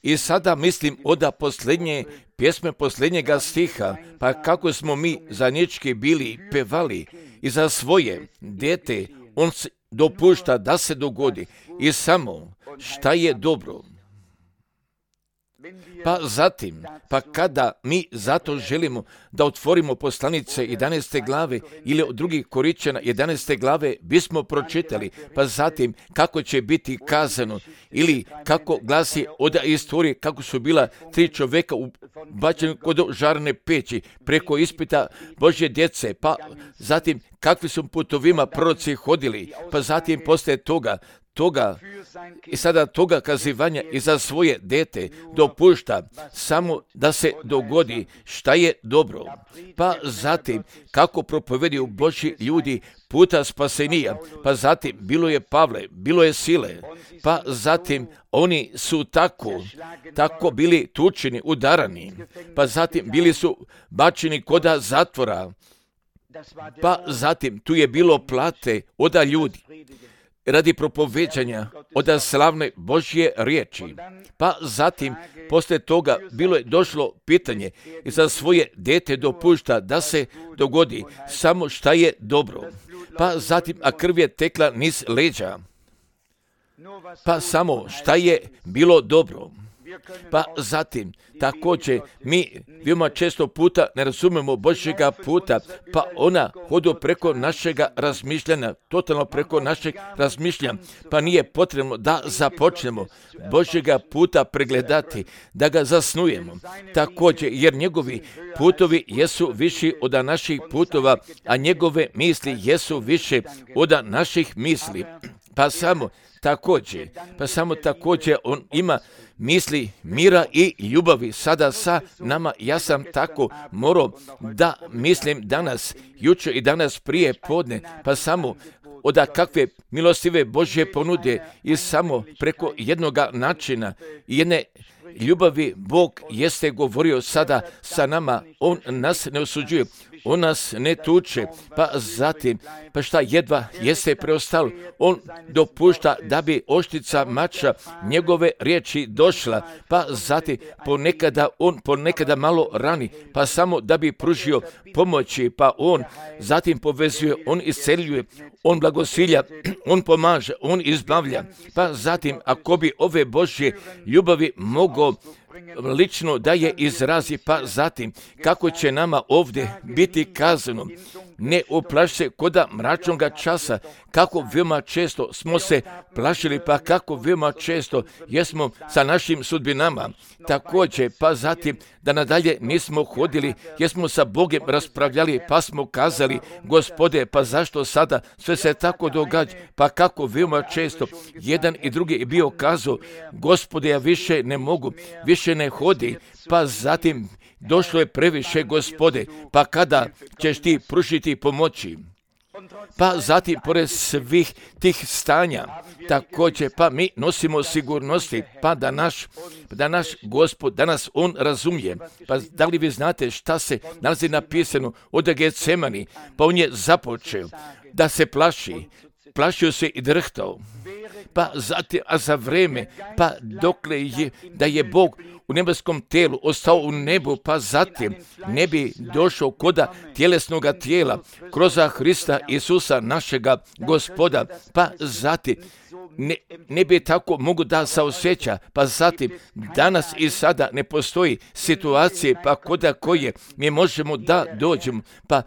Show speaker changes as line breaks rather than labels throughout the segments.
I sada mislim od posljednje pjesme, posljednjega stiha, pa kako smo mi zajednički bili pevali i za svoje dete, on dopušta da se dogodi i samo šta je dobro. Pa zatim, pa kada mi zato želimo da otvorimo poslanice 11. glave ili od drugih Korinćana 11. glave bismo pročitali, pa zatim kako će biti kazano ili kako glasi od istorije kako su bila 3 čovjeka bačeni kod žarne peći preko ispita Božje djece, pa zatim kakvi su putovima proroci hodili, pa zatim poslije toga i sada toga kazivanja i za svoje dete dopušta samo da se dogodi šta je dobro. Pa zatim kako propovedaju Božji ljudi puta spasenija, pa zatim bilo je Pavle, bilo je Sile, pa zatim oni su tako bili tučeni, udarani, pa zatim bili su bačeni koda zatvora, pa zatim tu je bilo plate od ljudi radi propoveđanja od slavne Božje riječi. Pa zatim, poslije toga, bilo je došlo pitanje i za svoje dete dopušta da se dogodi samo šta je dobro. Pa zatim, a krv je tekla niz leđa. Pa samo šta je bilo dobro. Pa zatim, također, mi veoma često puta ne razumemo Božjega puta, pa ona hodu preko našega razmišljanja, totalno preko našeg razmišljanja, pa nije potrebno da započnemo Božjega puta pregledati, da ga zasnujemo. Također, jer njegovi putovi jesu viši od naših putova, a njegove misli jesu više od naših misli. Pa samo također on ima misli mira i ljubavi sada sa nama. Ja sam tako morao da mislim danas, jučer i danas prije podne, pa samo od kakve milostive Božje ponude i samo preko jednoga načina i jedne ljubavi Bog jeste govorio sada sa nama. On nas ne osuđuje, on nas ne tuče, pa zatim, pa šta jedva jeste preostalo, on dopušta da bi oštrica mača njegove riječi došla, pa zatim ponekada malo rani, pa samo da bi pružio pomoći, pa on zatim povezuje, on isceljuje, on blagosilja, on pomaže, on izbavlja, pa zatim ako bi ove Božje ljubavi mogao lično da je izrazi, pa zatim kako će nama ovdje biti kazano, ne uplaši se koda mračnoga časa, kako veoma često smo se plašili, pa kako veoma često jesmo sa našim sudbinama. Također, pa zatim da nadalje nismo hodili, jesmo sa Bogom raspravljali, pa smo kazali, Gospode, pa zašto sada sve se tako događa, pa kako veoma često jedan i drugi je bio kazao, Gospode, ja više ne mogu, više ne hodi, pa zatim došlo je previše, Gospode, pa kada ćeš ti pružiti pomoći? Pa zatim, pored svih tih stanja, također, pa mi nosimo sigurnosti, pa da naš Gospod, danas on razumije. Pa da li vi znate šta se nalazi napisano od Getsemani? Pa on je započeo da se plašio se i drhtao. Pa zatim, a za vreme, pa dokle je, da je Bog u nebeskom tijelu ostao u nebu, pa zatim ne bi došao koda tjelesnoga tijela kroz Hrista Isusa našega Gospoda, pa zatim ne bi tako mogu da se osjeća, pa zatim danas i sada ne postoji situacije, pa koda koje mi možemo da dođemo, pa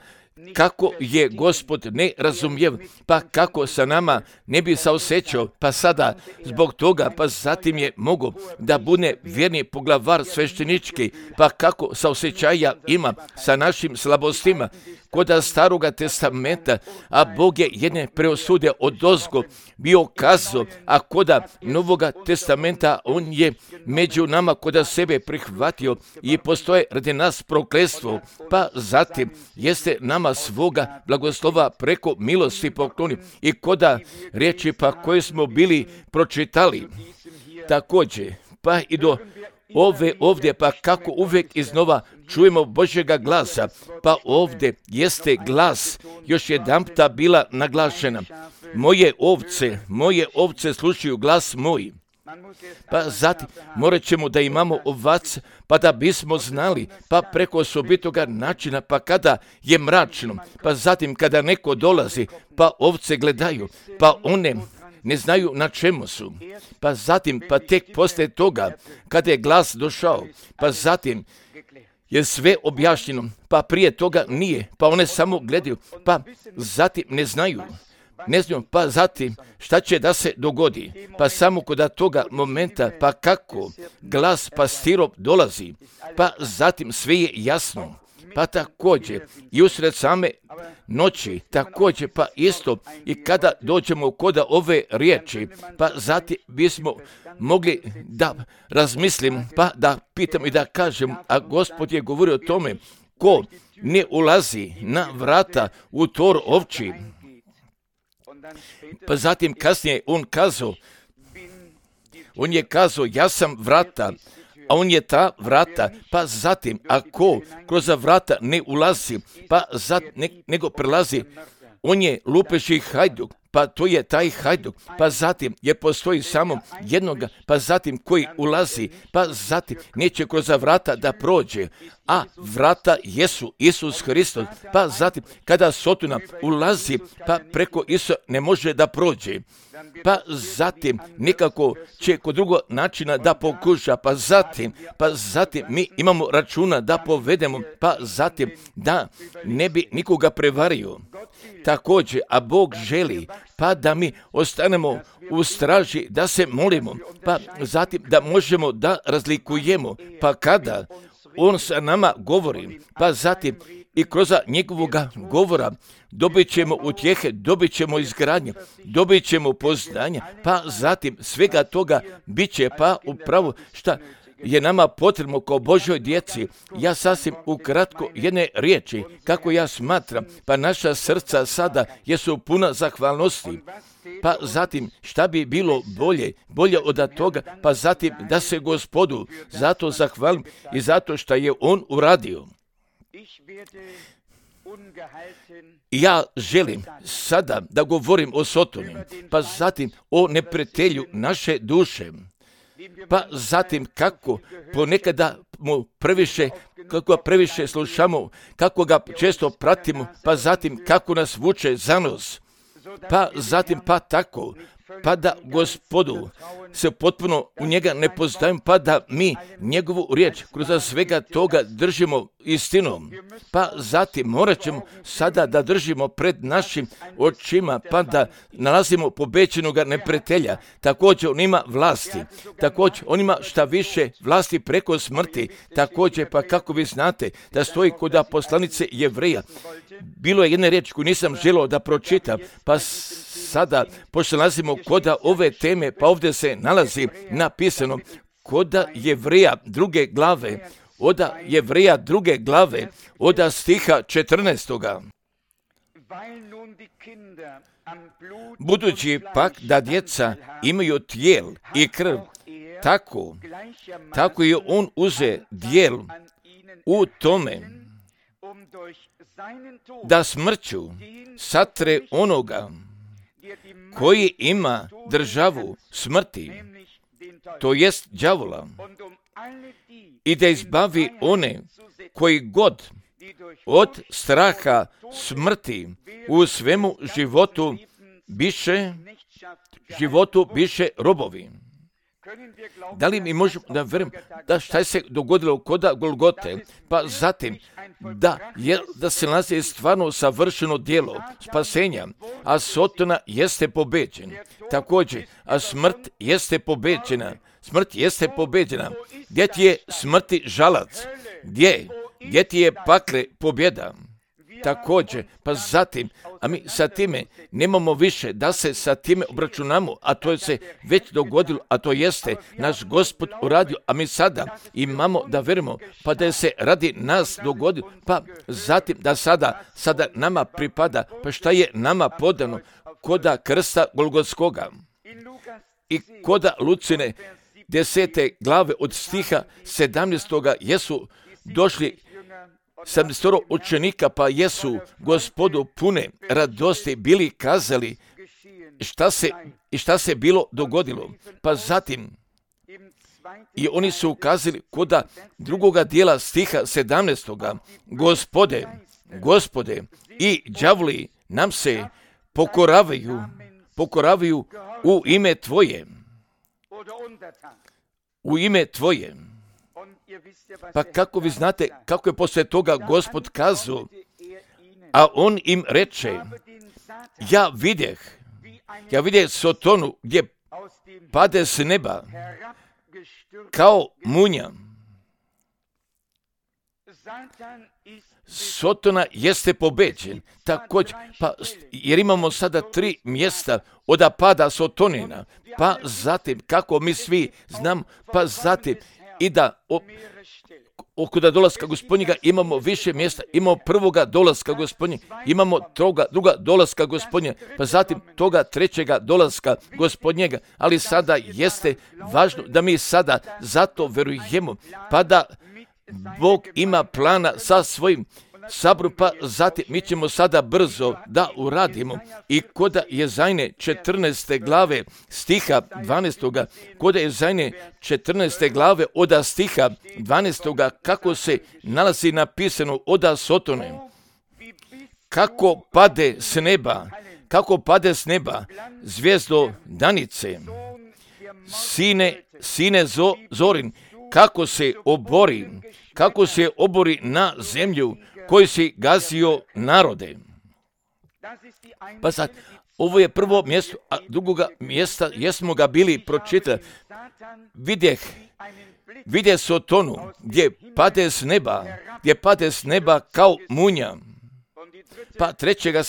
kako je Gospod nerazumljiv, pa kako sa nama ne bi se osjećao, pa sada zbog toga, pa zatim je mogu da bude vjerni poglavar sveštenički, pa kako se osjećaja ima sa našim slabostima, koda Staroga testamenta, a Bog je jedne preosude odozgo bio kazao, a koda Novoga testamenta on je među nama koda sebe prihvatio i postoje radi nas prokletstvo, pa zatim jeste nama svoga blagoslova preko milosti pokloni i koda riječi pa koje smo bili pročitali. Također, pa i do ovdje, pa kako uvijek iznova čujemo Božjega glasa, pa ovdje jeste glas još jedanputa bila naglašena. Moje ovce slušaju glas moj. Pa zatim morat ćemo da imamo ovac, pa da bismo znali, pa preko osobitoga načina, pa kada je mračno, pa zatim kada neko dolazi, pa ovce gledaju, pa one ne znaju na čemu su. Pa zatim, pa tek poslije toga, kada je glas došao, pa zatim je sve objašnjeno, pa prije toga nije, pa one samo gledaju, pa zatim ne znaju, pa zatim šta će da se dogodi, pa samo kod toga momenta, pa kako glas pastirov dolazi, pa zatim sve je jasno. Pa također i usred same noći, također pa isto i kada dođemo kod ove riječi, pa zatim bismo mogli da razmislimo, pa da pitamo i da kažemo, a Gospod je govorio o tome, ko ne ulazi na vrata u tor ovči. Pa zatim kasnije on je kazao, ja sam vrata, a on je ta vrata, pa zatim, ako kroz vrata ne ulazi, pa nego prelazi, on je lupeži hajduk, pa to je taj hajduk, pa zatim je postoji samo jednoga, pa zatim koji ulazi, pa zatim neće kroz vrata da prođe, a vrata jesu Isus Hristos, pa zatim kada Sotona ulazi, pa preko Isusa ne može da prođe, pa zatim nekako će kod drugog načina da pokuša, pa zatim mi imamo računa da povedemo, pa zatim da ne bi nikoga prevario. Također, a Bog želi, pa da mi ostanemo u straži, da se molimo, pa zatim da možemo da razlikujemo, pa kada On sa nama govori, pa zatim i kroz njegovoga govora dobit ćemo utjehe, dobit ćemo izgradnje, dobit ćemo poznanja, pa zatim svega toga bit će pa upravo šta je nama potrebno kao Božoj djeci. Ja sasvim ukratko jedne riječi, kako ja smatram, pa naša srca sada jesu puna zahvalnosti. Pa zatim šta bi bilo bolje od toga, pa zatim da se Gospodu zato zahvalim i zato što je On uradio. Ja želim sada da govorim o Sotoni, pa zatim o neprijatelju naše duše. Pa zatim kako ponekada mu previše slušamo, kako ga često pratimo, pa zatim kako nas vuče za nos. Pa zatim pa tako, pa da Gospodu se potpuno u njega ne poznajemo, pa da mi njegovu riječ kroz svega toga držimo istinom. Pa zatim morat ćemo sada da držimo pred našim očima, pa da nalazimo pobećenoga neprijatelja. Također on ima vlasti, također on ima šta više vlasti preko smrti. Također pa kako vi znate da stoji kod poslanice Jevreja. Bilo je jedna riječ koju nisam želio da pročitam, pa sada, pošto nalazimo kod ove teme, pa ovdje se nalazi napisano kod Jevreja druge glave, od stiha 14. Budući pak da djeca imaju tijel i krv, tako je on uze dijel u tome, da smrću satre onoga koji ima državu smrti, to jest đavola, i da izbavi one koji god od straha smrti u svemu životu biše robovi. Da li mi možemo da vjerujem da šta se dogodilo kod Golgote, pa zatim da se nalazi stvarno savršeno djelo spasenja, a Sotona jeste pobeđen. Također, a smrt jeste pobeđena. Gdje ti je smrti žalac? Gdje ti je pakle pobjeda? Također, pa zatim, a mi sa time nemamo više da se sa time obračunamo, a to je se već dogodilo, a to jeste naš Gospod uradio, a mi sada imamo da vjerujemo, pa da je se radi nas dogodilo, pa zatim da sada nama pripada, pa šta je nama podano koda krsta Golgotskoga i koda Lucine 10. glave od stiha 17. jesu došli 70 učenika, pa jesu Gospodu pune radosti bili kazali šta se bilo dogodilo. Pa zatim, i oni su ukazali koda drugoga dijela stiha 17. Gospode, i đavli nam se pokoravaju u ime Tvoje. U ime Tvoje. Pa kako vi znate kako je poslije toga Gospod kazao, a on im reče, ja vidjeh Sotonu gdje pade s neba kao munja. Sotona jeste pobeđen. Također, jer imamo sada 3 mjesta od pada Sotonina, pa zatim, kako mi svi znam, pa zatim i da oko dolaska Gospodnjega imamo više mjesta, imamo prvoga dolaska Gospodnjega, imamo druga dolaska Gospodnjega, pa zatim toga 3. dolaska Gospodnjega, ali sada jeste važno da mi sada zato verujemo, pa da Bog ima plana sa svojim sabru, pa zatim mi ćemo sada brzo da uradimo. I koda Jezajne 14. glave stiha 12. Koda Jezajne 14. glave oda stiha 12. kako se nalazi napisano oda Sotone. Kako pade s neba zvijezdo danice, sine zorin, kako se obori na zemlju koji si gazio narode. Pa sad, ovo je prvo mjesto, a drugoga mjesta jesmo ga bili pročitali. Vidje Sotonu gdje pade s neba kao munja. Pa treće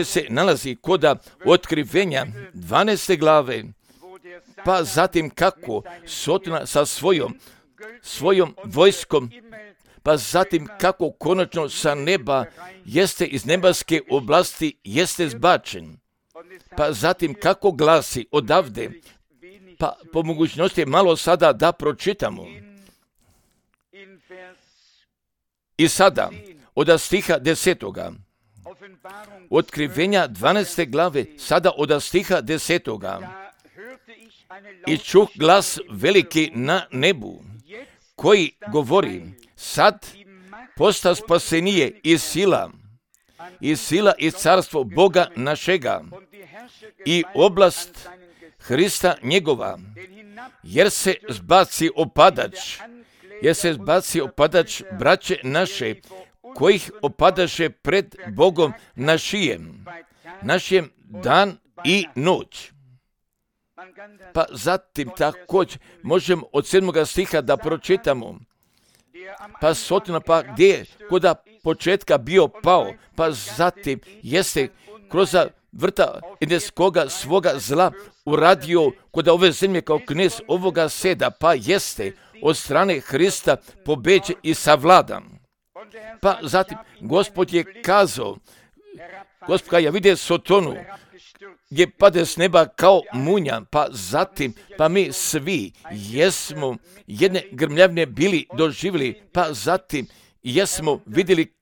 se nalazi koda Otkrivenja 12. glave, pa zatim kako Sotona sa svojom vojskom, pa zatim kako konačno sa neba jeste iz nebeske oblasti jeste zbačen. Pa zatim kako glasi odavde, pa po mogućnosti malo sada da pročitamo. I sada od stiha 10. Otkrivenja 12. glave, sada od stiha 10. I čuh glas veliki na nebu, koji govori, sad posta spasenije i sila i carstvo Boga našega i oblast Hrista njegova, jer se zbaci opadač braće naše, kojih opadaše pred Bogom našem dan i noć. Pa zatim također možemo od 7. stiha da pročitamo. Pa Sotona, pa gdje je koda početka bio pao, pa zatim jeste kroz vrta ideskoga svoga zla uradio koda ove zemlje kao knez ovoga seda, pa jeste od strane Hrista pobeđen i savladan. Pa zatim Gospod je kazao, Gospod ja vidio Sotonu gdje pade s neba kao munja, pa zatim, pa mi svi jesmo jedne grmljavne bili doživjeli, pa zatim jesmo vidjeli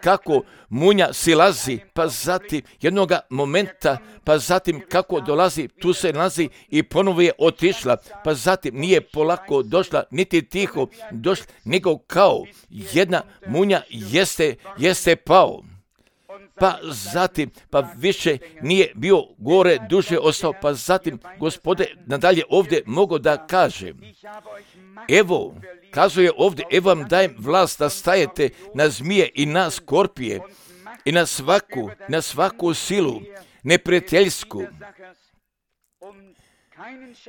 kako munja silazi, pa zatim jednoga momenta, pa zatim kako dolazi, tu se nalazi i ponovo je otišla, pa zatim nije polako došla, niti tiho došla, nego kao jedna munja jeste pao. Pa zatim, pa više nije bio gore, duže ostao, pa zatim Gospode nadalje ovdje mogu da kaže, evo, kazuje ovdje, evo vam dajem vlast da stajete na zmije i na skorpije i na svaku silu neprijateljsku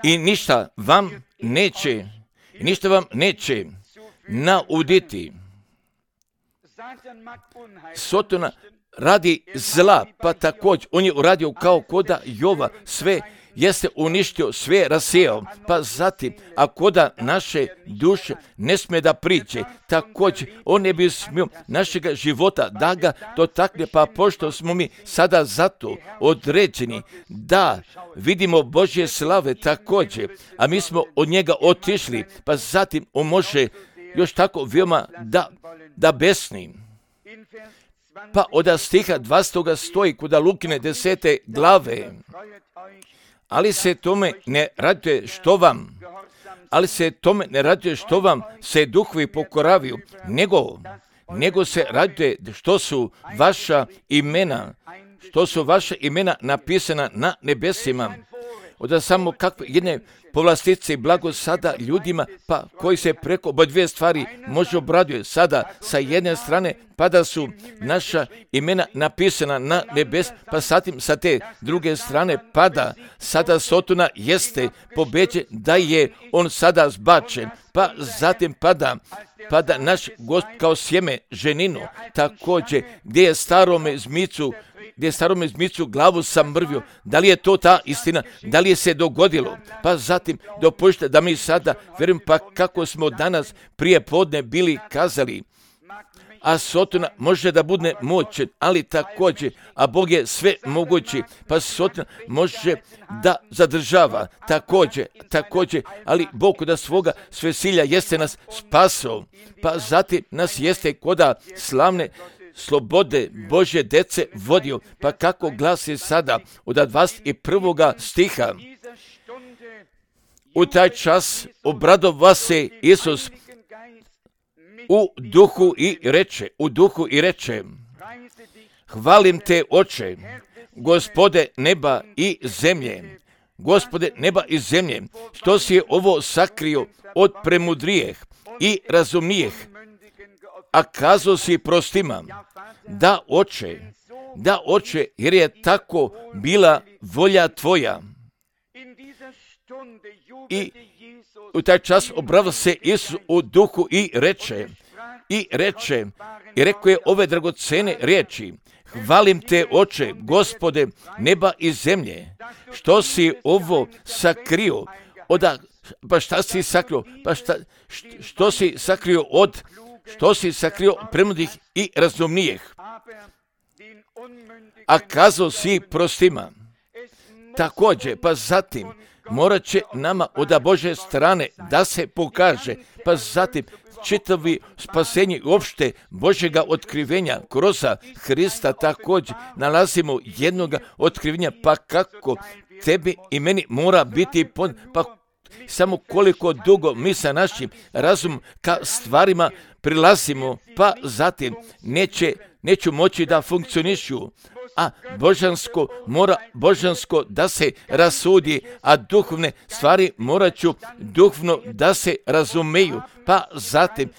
i ništa vam neće nauditi. Sotona radi zla, pa također on je uradio kao koda Jova, sve jeste uništio, sve rasijao, pa zatim, a koda naše duše ne smije da priđe, također on ne bi smio našega života da ga dotakne, pa pošto smo mi sada zato određeni da vidimo Božje slave također, a mi smo od njega otišli, pa zatim on može još tako veoma da besni. Pa od stiha 20. stoji kod Lukine 10. glave. Ali se tome ne raduje što vam se duhovi pokoravaju, nego se raduje što su vaša imena napisana na nebesima. Onda samo kakve jedne povlastice i blago sada ljudima, pa koji se preko dvije stvari može obraduje. Sada sa jedne strane pa da su naša imena napisana na nebes, pa zatim sa te druge strane pada sada Sotona jeste pobeđen, da je on sada zbačen, pa zatim pada naš Gost kao sjeme ženinu, također gdje je starome zmicu glavu sam mrvio. Da li je to ta istina? Da li je se dogodilo? Pa zatim dopustite da mi sada vjerujem, pa kako smo danas prije podne bili kazali, a Sotona može da bude moćen, ali također, a Bog je sve mogući, pa Sotona može da zadržava, također, ali Bog da svoga svesilja jeste nas spasao, pa zatim nas jeste koda slavne slobode Božje dece vodio, pa kako glasi sada od 21. stiha. U taj čas obradova se Isus u duhu i reče, hvalim te, Oče, Gospode neba i zemlje, što si ovo sakrio od premudrijeh i razumnijeh, a kazao si prostima, da Oče, jer je tako bila volja tvoja. I u taj čas obrava se Isus u duhu i rekao je ove dragocene riječi, hvalim te, Oče, Gospode neba i zemlje, što si ovo sakrio, što si sakrio premudih i razumnijeh, a kazao si prostima. Također, pa zatim, morat će nama od Božje strane da se pokaže, pa zatim čitavi spasenje uopšte Božjega otkrivenja kroz Hrista, također nalazimo jednoga otkrivenja, pa kako tebi i meni mora biti pa samo koliko dugo mi sa našim razumom ka stvarima prilazimo, pa zatim neću moći da funkcionišu, a božansko da se rasudi, a duhovne stvari morat ću duhovno da se razumeju, pa zatim,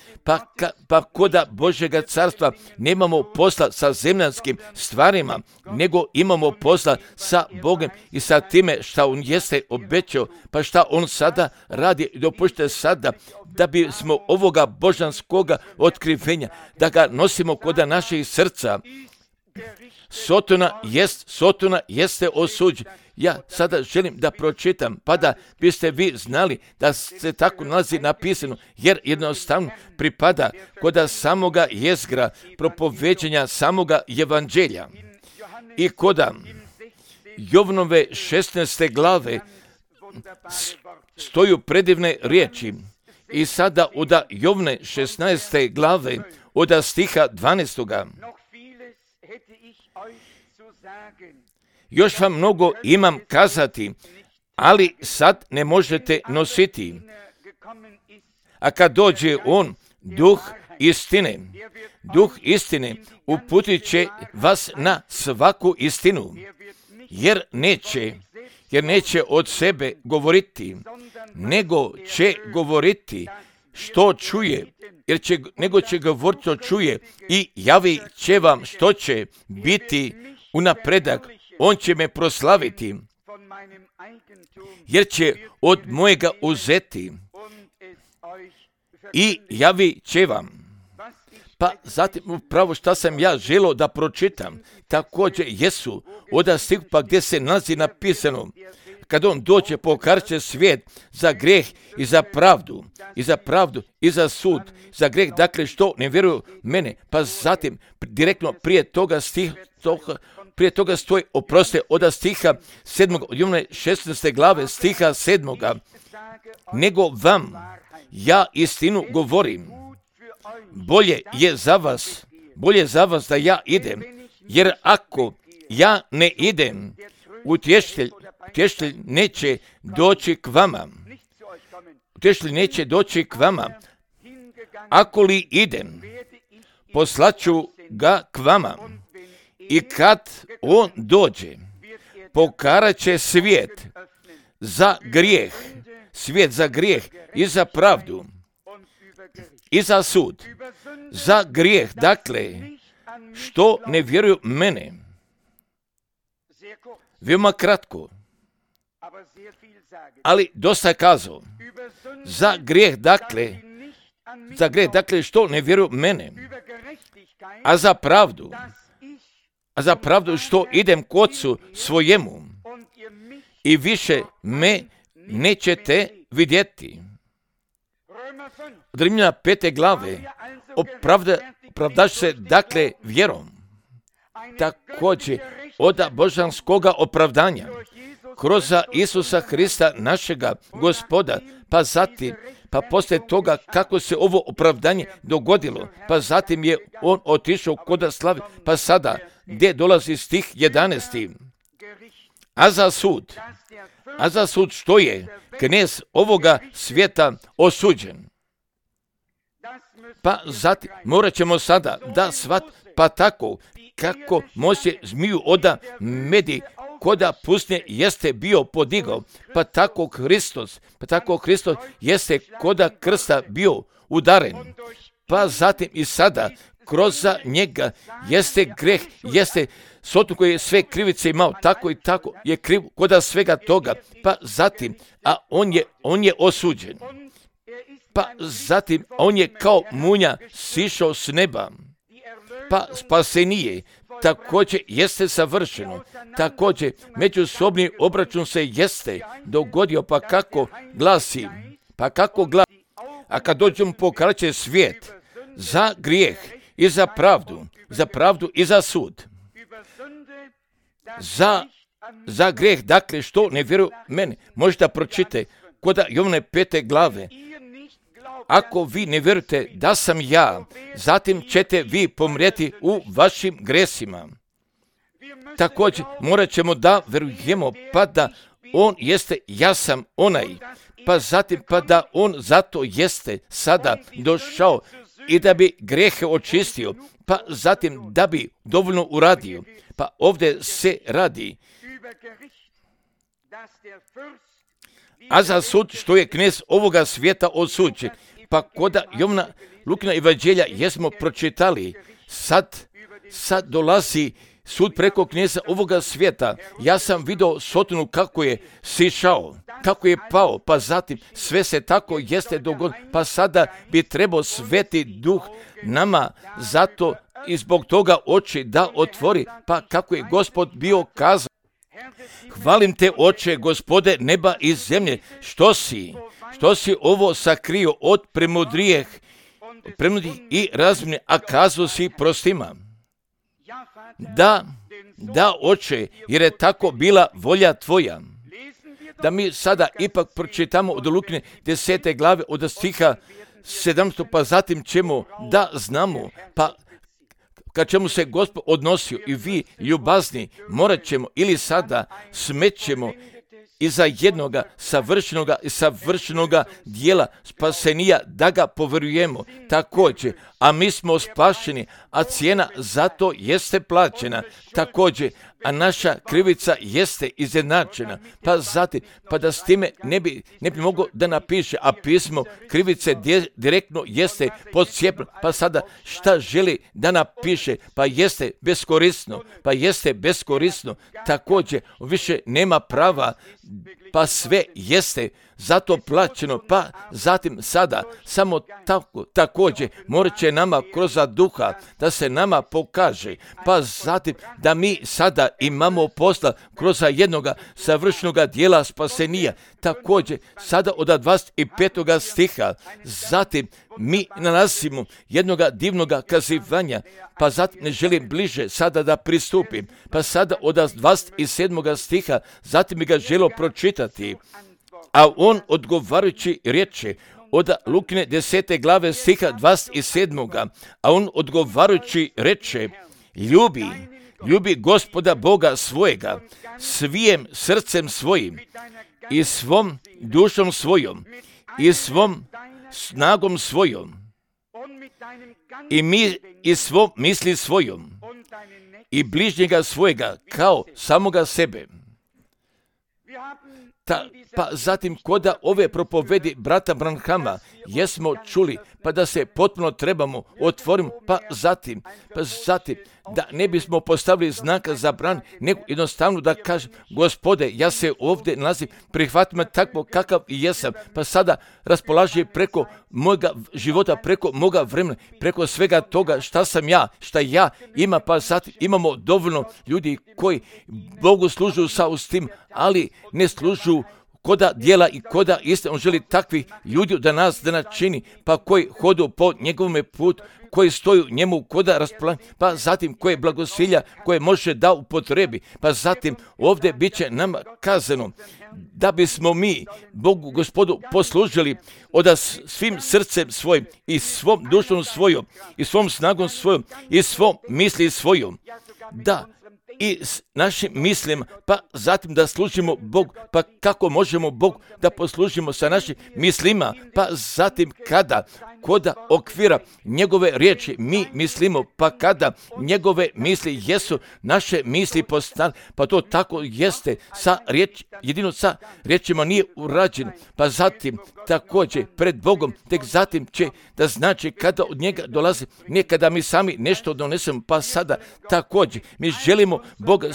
pa koda Božjega carstva nemamo posla sa zemljanskim stvarima, nego imamo posla sa Bogom i sa time šta On jeste obećao, pa šta On sada radi, dopušte sada da bismo ovoga božanskoga otkrivenja, da ga nosimo koda naših srca. Sotona jeste osuđen. Ja sada želim da pročitam, pa da biste vi znali da se tako nalazi napisano, jer jednostavno pripada koda samoga jezgra propoveđenja samoga evanđelja. I koda Jovnove 16. glave stoju predivne riječi. I sada od Jovne 16. glave, od stiha 12. Još vam mnogo imam kazati, ali sad ne možete nositi. A kad dođe On, duh istine, uputit će vas na svaku istinu, jer neće od sebe govoriti, nego će govoriti što čuje, nego će govoriti što čuje i javit će vam što će biti u napredak. On će me proslaviti, jer će od mojega uzeti i javit će vam. Pa zatim upravo šta sam ja želio da pročitam, također jesu od stiha pa gdje se nalazi napisano, kad On dođe pokaže svijet za greh i za pravdu, i za sud, za greh, dakle što ne vjeruju mene, pa zatim direktno prije toga stoji, oproste, od stiha 7. od Jovne 16. glave, stiha 7. Nego vam ja istinu govorim, bolje je za vas bolje za vas da ja idem, jer ako ja ne idem, utješitelj neće doći k vama. Utješitelj neće doći k vama. Ako li idem, poslaću ga k vama. I kad on dođe, pokarat će svijet za grijeh i za pravdu i za sud. Za grijeh, dakle, što ne vjeruju mene. Veoma kratko, ali dosta kazao. Za grijeh, dakle, što ne vjeruju mene. A za pravdu što idem k Ocu svojemu i više me nećete vidjeti. Od Rimljana 5. glave opravdaš se dakle vjerom. Također od božanskoga opravdanja kroz Isusa Hrista našega Gospoda, pa zatim, pa poslije toga kako se ovo opravdanje dogodilo, pa zatim je on otišao kod slavi, pa sada gdje dolazi stih 11. A za sud što je knez ovoga svijeta osuđen. Pa zatim morat ćemo sada da pa tako kako Mojsije zmiju oda medi koda pustinje jeste bio podigao, pa tako Hristos jeste koda krsta bio udaren. Pa zatim i sada kroz njega jeste greh, jeste sotu koji je sve krivice imao, tako i tako je kriv koda svega toga. Pa zatim, a on je osuđen. Pa zatim, on je kao munja sišao s neba. Pa spasenije također jeste savršeno. Također međusobni obračun se jeste dogodio, pa kako glasi. A kad dođemo pokarat će svijet za grijeh i za pravdu i za sud. Za grijeh, dakle, što ne vjeruju mene. Možete pročitati kod Jovane 5. glave. Ako vi ne vjerujete da sam ja, zatim ćete vi pomrijeti u vašim gresima. Također morat ćemo da vjerujemo, pa da on jeste, ja sam onaj, pa zatim pa da on zato jeste sada došao i da bi grijehe očistio, pa zatim da bi dovoljno uradio. Pa ovdje se radi. A za sud što je knez ovoga svijeta osuđen. Pa koda Jovana Lukina evanđelja jesmo pročitali, sad dolazi sud preko kneza ovoga svijeta. Ja sam vidio Sotonu kako je sišao, kako je pao, pa zatim sve se tako jeste dogodilo, pa sada bi trebao Sveti Duh nama zato i zbog toga oči da otvori, pa kako je Gospod bio kazao. Hvalim te, Oče, Gospode neba i zemlje, što si ovo sakrio od premudrijih i razumnih, a kazao si prostima. Da, Oče, jer je tako bila volja tvoja. Da mi sada ipak pročitamo od Lukine 10. glave od stiha 700, pa zatim ćemo da znamo, pa kad ćemo se Gospod odnosio i vi ljubazni, morat ćemo ili sada smećemo iza jednoga savršenoga dijela spasenija da ga povjerujemo također, a mi smo spašeni, a cijena za to jeste plaćena također, a naša krivica jeste izjednačena, pa zatim, pa da s time ne bi mogao da napiše, a pismo krivice direktno jeste podcijepljeno, pa sada šta želi da napiše, pa jeste beskorisno, također više nema prava, pa sve jeste zato plaćeno, pa zatim sada samo također morat će nama kroz duha da se nama pokaže, pa zatim da mi sada imamo posla kroz jednoga savršenoga dijela spasenija, također sada od 25. stiha, zatim mi nalazimo jednoga divnoga kazivanja, pa zatim ne želim bliže sada da pristupim, pa sada od 27. stiha, zatim bi ga želio pročitati. A on odgovarajući riječi, od Lukine 10. glave stiha 27. A on odgovarajući reče, ljubi Gospoda Boga svojega, svijem srcem svojim, i svom dušom svojom, i svom snagom svojom, i svom misli svojom, i bližnjega svojega kao samoga sebe. Pa zatim koda ove propovedi brata Branhama jesmo čuli, pa da se potpuno trebamo otvoriti, pa zatim da ne bismo postavili znaka zabrane, nego jednostavno da kažem, Gospode, ja se ovdje nalazim, prihvati me takvo kakav i jesam, pa sada raspolaži preko mojega života, preko moga vremena, preko svega toga šta ja ima, pa zatim imamo dovoljno ljudi koji Bogu služu sa ustim, ali ne služu koda djela i koda iste. On želi takvih ljudi da nas čini, pa koji hodu po njegovome putu, koji stoju njemu koda raspolaganja, pa zatim koje blagosilja koje može da upotrebi, pa zatim ovdje bit će nama kazano da bismo mi Bogu Gospodu poslužili od svim srcem svojim i svom dušom svojom i svom snagom svojom i svom misli svojom, da i s našim mislima, pa zatim da služimo Bog, pa kako možemo Bog da poslužimo sa našim mislima, pa zatim koda okvira njegove riječi mi mislimo, pa kada njegove misli jesu naše misli postale, pa to tako jeste jedino sa riječima nije urađeno, pa zatim također pred Bogom, tek zatim će da znači kada od njega dolazi, ne kada mi sami nešto donesemo, pa sada također mi želimo Boga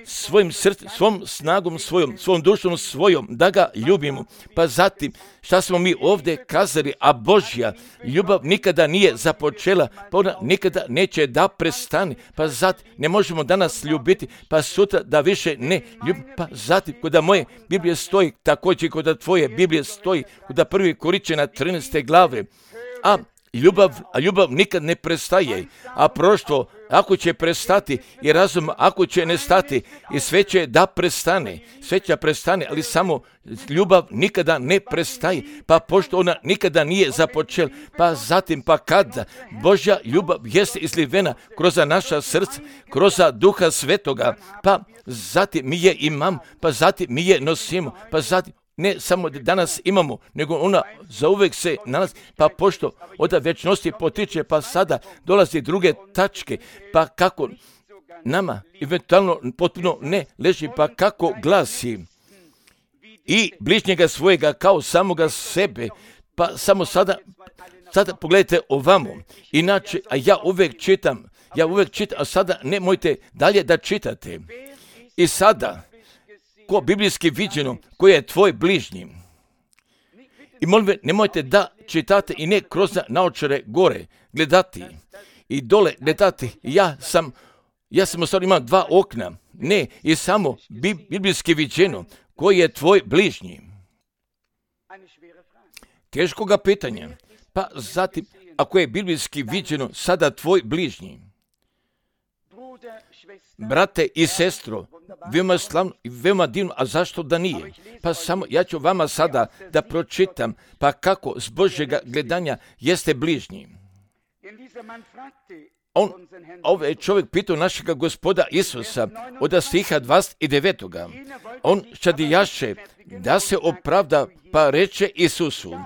svojim srcem, svom snagom svojom, svom dušom svojom, da ga ljubimo. Pa zatim, šta smo mi ovdje kazali, a Božja ljubav nikada nije započela, pa ona nikada neće da prestane, pa zatim ne možemo danas ljubiti, pa sutra da više ne ljubimo, pa zatim kod moje Biblije stoji, također kod tvoje Biblije stoji, kod 1. Korinćana 13. glave, a ljubav nikad ne prestaje, a proštvo ako će prestati i razum ako će nestati i sve će da prestane, ali samo ljubav nikada ne prestaje, pa pošto ona nikada nije započela, pa zatim pa kada Božja ljubav jeste izlivena kroz naša srca, kroz Duha Svetoga, pa zatim mi je imamo, pa zatim mi je nosimo, pa zatim ne samo da danas imamo, nego ona zauvek se nalazi, pa pošto od večnosti potiče, pa sada dolazi druge tačke, pa kako nama eventualno potpuno ne leži, pa kako glasi i bližnjega svojega kao samoga sebe, pa samo sada pogledajte ovamo, inače, a ja uvek čitam, a sada nemojte dalje da čitate. I sada, ko biblijski viđeno, koji je tvoj bližnji. I molim vas, nemojte da čitate i ne kroz naočare gore gledati i dole gledati. Ja sam u stvari imam 2 okna. Ne, i samo biblijski viđeno, koji je tvoj bližnji. Teškoga pitanja. Pa zatim, ako je biblijski viđeno sada tvoj bližnji. Brate i sestro, veoma slavno i veoma divno, a zašto da nije? Pa samo ja ću vama sada da pročitam, pa kako s Božjega gledanja jeste bližnji. Ovaj čovjek pitao našega Gospoda Isusa od stiha 29. On šadijaše da se opravda, pa reče Isusu,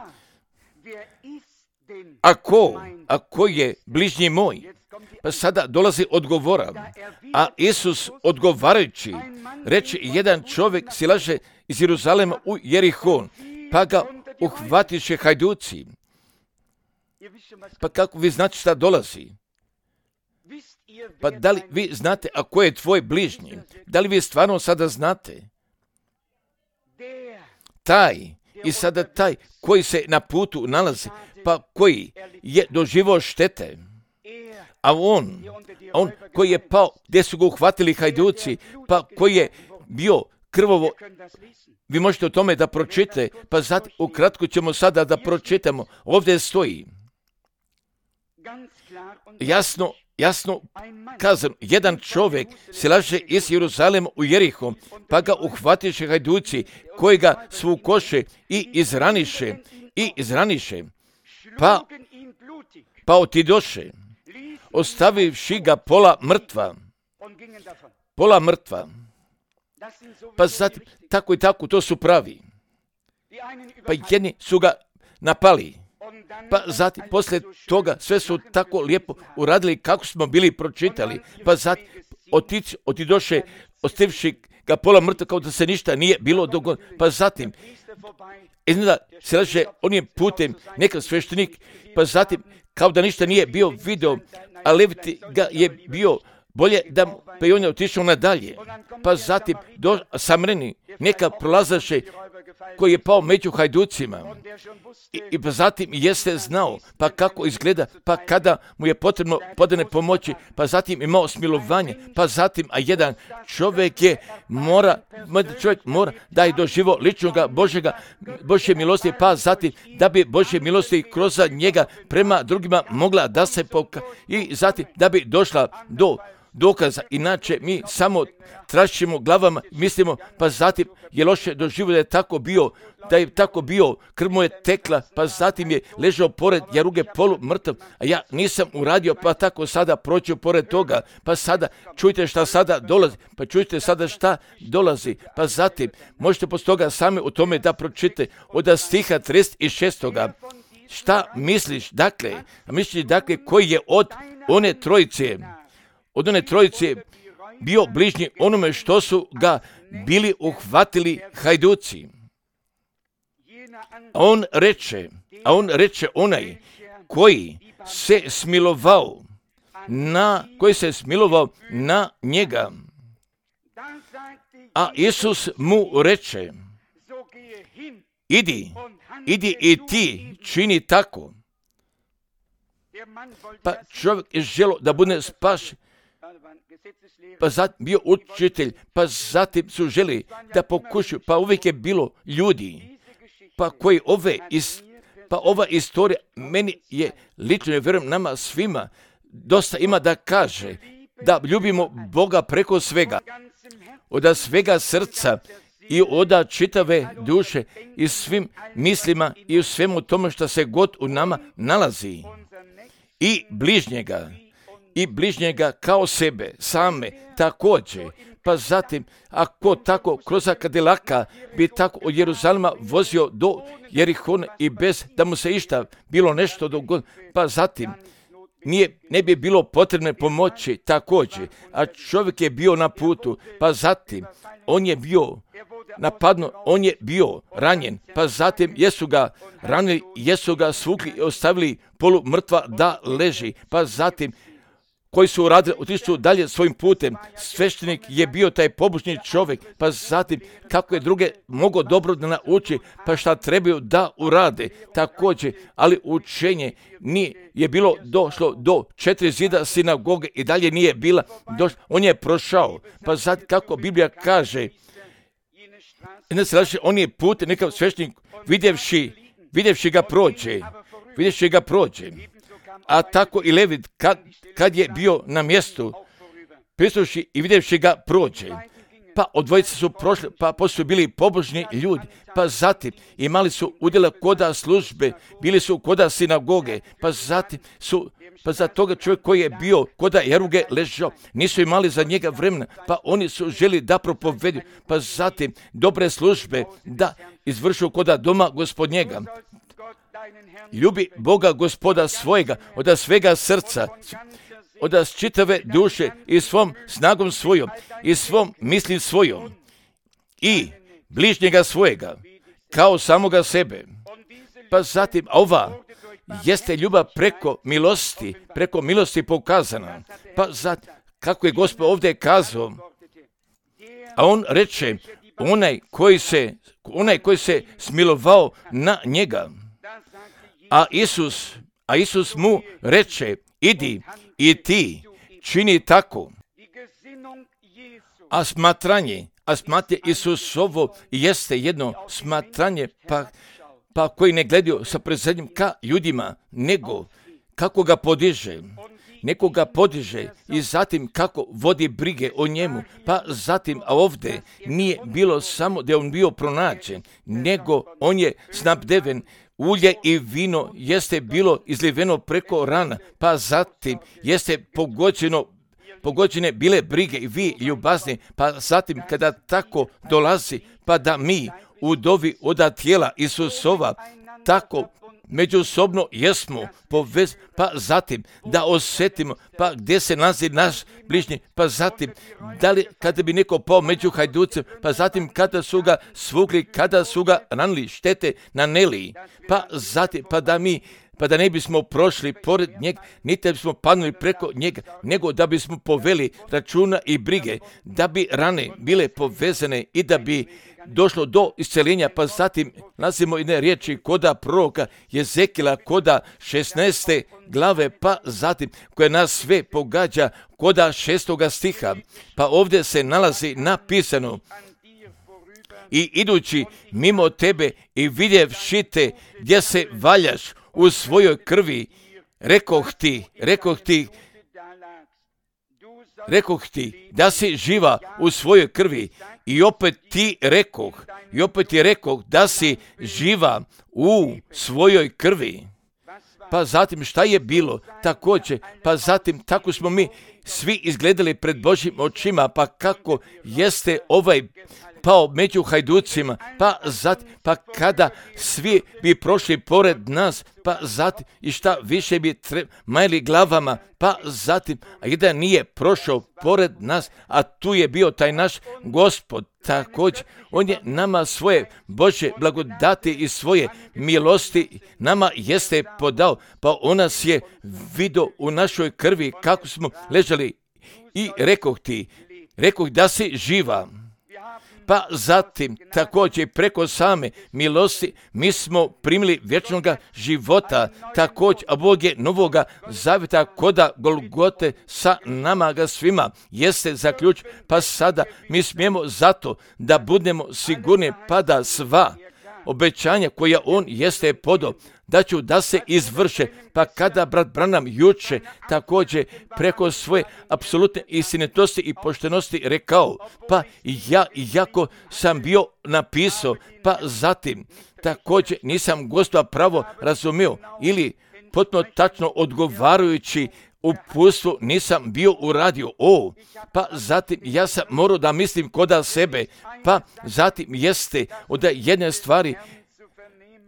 ako je bližnji moj? Pa sada dolazi odgovora, a Isus odgovarajući reče, jedan čovjek silaže iz Jeruzalema u Jerihon, pa ga uhvatiše hajduci. Pa kako vi znate šta dolazi? Pa da li vi znate ako je tvoj bližnji? Da li vi stvarno sada znate? Taj koji se na putu nalazi, pa koji je doživio štete, a on koji je pao, gdje su ga uhvatili hajduci, pa koji je bio krvovo, vi možete o tome da pročitate, pa zatim ukratko ćemo sada da pročitamo. Ovdje stoji jasno kazano, jedan čovjek silaže iz Jeruzalema u Jeriho, pa ga uhvatiše hajduci, koji ga svukoše i izraniše
i izraniše, pa otidoše, ostavivši ga pola mrtva. Pa zatim, tako i tako, to su pravi. Pa jedni su ga napali. Pa zatim, poslije toga, sve su tako lijepo uradili kako smo bili pročitali. Pa zatim, otidoše, ostavivši ga pola mrtva, kao da se ništa nije bilo dogodilo. Pa zatim, iznada se laže onim putem neka sveštenik, pa zatim, kao da ništa nije bio video, a Leviti ga je bio bolje da pa i on je otišao nadalje. Pa zatim Samreni neka prolazaše koji je pao među hajducima. I pa zatim jeste znao pa kako izgleda, pa kada mu je potrebno podane pomoći, pa zatim imao smilovanje, pa zatim jedan čovjek mora da je doživo ličnoga Božje milosti, pa zatim da bi Božje milosti kroz njega prema drugima mogla da se i zatim da bi došla do dokaza. Inače mi samo trašimo glavama, mislimo, pa zatim je loše doživio da je tako bio, krv mu je tekla, pa zatim je ležao pored jaruge polu mrtav, a ja nisam uradio, pa tako sada proću pored toga, pa sada čujte šta sada dolazi, pa čujte sada šta dolazi, pa zatim možete poslije toga sami o tome da pročite od stiha 36. Šta misliš, dakle, koji je od one trojice bio bližnji onome što su ga bili uhvatili hajduci. A on reče onaj koji se smilovao na njega. A Isus mu reče, idi i ti čini tako. Pa čovjek je želio da bude spašen, pa zatim bio učitelj, pa zatim su želi da pokušaju, pa uvijek je bilo ljudi, pa koji ova istorija meni je lično, vjerujem nama svima, dosta ima da kaže, da ljubimo Boga preko svega, od svega srca i od čitave duše i svim mislima i u svemu tome što se god u nama nalazi. I bližnjega kao sebe, same, također. Pa zatim, ako tako kroz Kadilaka bi tako od Jeruzalema vozio do Jerihona i bez da mu se išta bilo nešto dogodilo, pa zatim ne bi bilo potrebne pomoći također, a čovjek je bio na putu, pa zatim on je bio napadnut, on je bio ranjen, pa zatim jesu ga ranili, jesu ga svukli i ostavili polu mrtva da leži, pa zatim koji su uradili, otišli dalje svojim putem. Sveštenik je bio taj pobožni čovjek, pa zatim kako je druge mogao dobro da nauči, pa šta trebaju da urade također, ali učenje je bilo došlo do 4 zida sinagoge i dalje nije bila došlo, on je prošao, pa zatim kako Biblija kaže, on je put, nekav sveštenik vidjevši ga prođe, a tako i Levit kad je bio na mjestu, prisluši i vidjevši ga prođe, pa od dvojice su prošli, pa poslije bili pobožni ljudi, pa zatim imali su udjela koda službe, bili su koda sinagoge, pa zatim za toga čovjek koji je bio koda jaruge ležao, nisu imali za njega vremena, pa oni su želi da propovedu, pa zatim dobre službe da izvršu koda doma gospodnjega. Ljubi Boga Gospoda svojega, od svega srca, od čitave duše i svom snagom svojom i svom mislim svojom i bližnjega svojega kao samoga sebe. Pa zatim ova jeste ljubav preko milosti pokazana. Pa zatim, kako je Gospod ovdje kazao, a on reče, onaj koji se smilovao na njega. A Isus mu reče, idi i ti čini tako. A smatranje Isusovo jeste jedno smatranje, pa koji ne gledaju sa prezrenjem ka ljudima, nego kako ga podiže. Neko ga podiže i zatim kako vodi brige o njemu, pa zatim, a ovdje nije bilo samo da je on bio pronađen, nego on je snabdeven
ulje i vino jeste bilo izliveno preko rana, pa zatim jeste pogođene bile brige i vi ljubazni, pa zatim kada tako dolazi, pa da mi u dovi od tijela Isusova tako međusobno jesmo pa zatim da osjetimo, pa gdje se nalazi naš bližnji, pa zatim da li kada bi neko pao među hajducem, pa zatim kada su ga svugli, kada su ga ranili, štete naneli, pa zatim pa da ne bismo prošli pored njega, niti da bismo padnuli preko njega, nego da bismo poveli računa i brige, da bi rane bile povezane i da bi došlo do isceljenja, pa zatim nalazimo jedne riječi koda proroka Jezekila, koda 16. glave, pa zatim koja nas sve pogađa, koda 6. stiha, pa ovdje se nalazi napisano: i idući mimo tebe i vidjevši te gdje se valjaš u svojoj krvi, rekoh ti da si živa u svojoj krvi, i opet ti rekoh da si živa u svojoj krvi. Pa zatim šta je bilo također, pa zatim tako smo mi svi izgledali pred Božjim očima, pa kako jeste pao među hajducima, pa kada svi bi prošli pored nas, pa zatim i šta više bi majli glavama, pa zatim, a jedan nije prošao pored nas, a tu je bio taj naš Gospod također. On je nama svoje Božje blagodati i svoje milosti nama jeste podao, pa on nas je vidio u našoj krvi kako smo ležali, i rekoh da si živa. Pa zatim također preko same milosti mi smo primili vječnoga života također, a Bog je novoga zavjeta koda Golgote sa nama ga svima jeste zaključ, pa sada mi smijemo zato da budemo sigurni, pa da sva obećanja koja on jeste podao da se izvrše, pa kada brat Branham juče također preko svoje apsolutne istinitosti i poštenosti rekao, pa ja iako sam bio napisao, pa zatim također nisam Gospoda pravo razumio ili potpuno tačno odgovarajući uputstvu nisam bio uradio, pa zatim ja sam morao da mislim koda sebe, pa zatim jeste od jedne stvari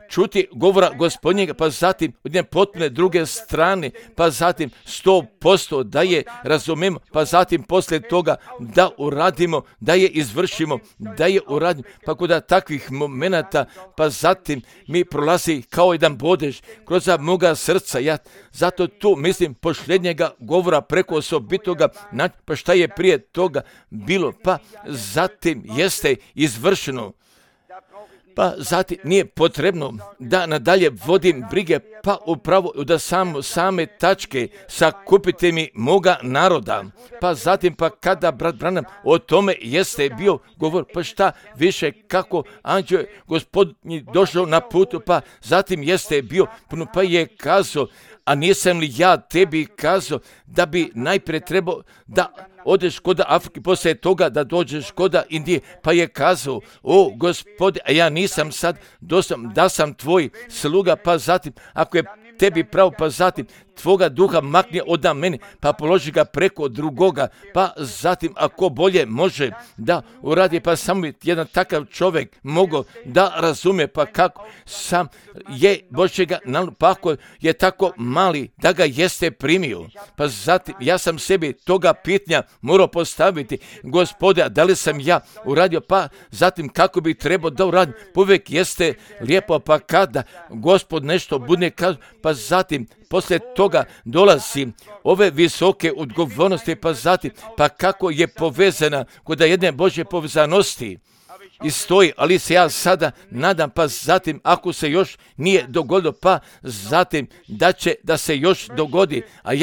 čuti govora Gospodnjega, pa zatim od jedne potpune druge strane, pa zatim 100% da je razumemo, pa zatim poslije toga da uradimo, da je izvršimo, da je uradimo, pa kod takvih momenata, pa zatim mi prolazi kao jedan bodež kroz moga srca. Ja zato tu mislim posljednjega govora preko osobitoga, pa šta je prije toga bilo, pa zatim jeste izvršeno. Pa zatim nije potrebno da nadalje vodim brige, pa upravo da same tačke sakupite mi moga naroda. Pa zatim pa kada brat Branham o tome jeste bio govor, pa šta više kako anđeo Gospodnji došao na putu, pa zatim jeste bio, pa je kazao, a nisam li ja tebi kazao da bi najprije trebao da odeš kod Afrike, poslije toga da dođeš kod Indije, pa je kazao, Gospode, a ja nisam sad, da sam tvoj sluga, pa zatim, ako je tebi pravo, pa zatim tvoga duha makni od mene, pa položi ga preko drugoga, pa zatim ako bolje može da uradi, pa samo jedan takav čovjek mogao da razumije, pa kako sam je Božjega, pa ako je tako mali da ga jeste primio, pa zatim ja sam sebi toga pitanja morao postaviti, Gospode, da li sam ja uradio, pa zatim kako bi trebao da uradim, uvijek jeste lijepo, pa kada Gospod nešto bude kazao, pa zatim poslije toga dolazi ove visoke odgovornosti, pa zatim, pa kako je povezana kod jedne Božje povezanosti i stoji, ali se ja sada nadam, pa zatim ako se još nije dogodilo, pa zatim da se još dogodi, a